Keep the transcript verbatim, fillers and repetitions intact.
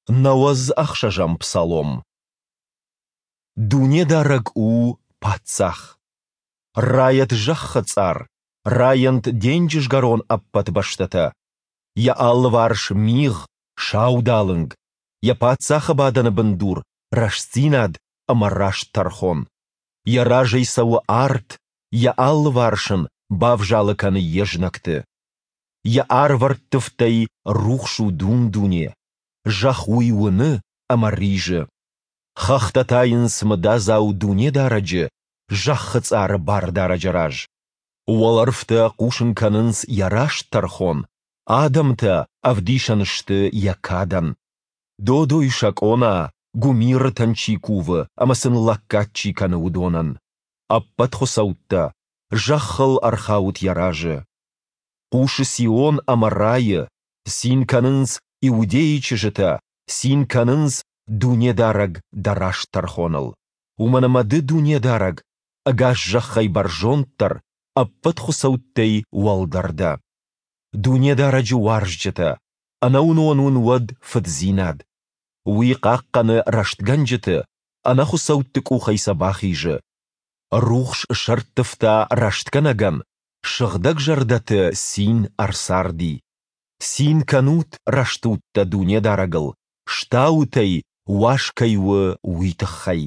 Нӕуӕдз ӕхсӕзӕм псалом. Дунедарӕг у Паддзах! Райӕд зӕххы цъар, райӕнт денджызгӕрон ӕппӕт бӕстӕтӕ! Йӕ алыварс мигъ, саудалынг, Йӕ паддзахы бадӕны бындур — рӕстдзинад ӕмӕ раст тӕрхон. Йӕ разӕй цӕуы арт, Йӕ алыварс ын бавзалы кӕны йе знӕгты. Йӕ арвӕрттывдӕй рухс у дун-дуне, зӕхх уый уыны ӕмӕ ризы. Хӕхтӕ тайынц мыдадзау Дунедарӕджы, зӕххы цъары Бардарӕджы раз. Уӕлӕрвтӕ хъусын кӕнынц Йӕ раст тӕрхон, адӕмтӕ ӕвдисӕн сты Йӕ кадӕн. Додой сӕ къона, гуымирытӕн чи кувы ӕмӕ сын лӕггад чи кӕны, уыдонӕн! Ӕппӕт хуыцӕуттӕ, зӕххыл ӕрхаут Йӕ разы! Хъусы Сион ӕмӕ райы, цин кӕнынц Иудӕйы чызджытӕ, цин кӕнынц, Дунедарӕг, Дӕ раст тӕрхоныл. Уымӕн ӕмӕ Ды, Дунедарӕг, ӕгас зӕххӕй бӕрзонддӕр, ӕппӕт хуыцӕуттӕй уӕлдӕр дӕ. Дунедарӕджы уарзджытӕ, ӕнӕуынон уын уӕд фыддзинад. Уый хъахъхъӕны рӕстгӕнджыты, ӕнӕхуыцӕутты къухӕй сӕ бахизы. Рухс сӕрттывта рӕстгӕнӕгӕн, сыгъдӕгзӕрдӕты цин ӕрцарди. Цин кӕнут, рӕстудтӕ, Дунедарӕгыл, стаут ӕй, уаз кӕй у, уый тыххӕй.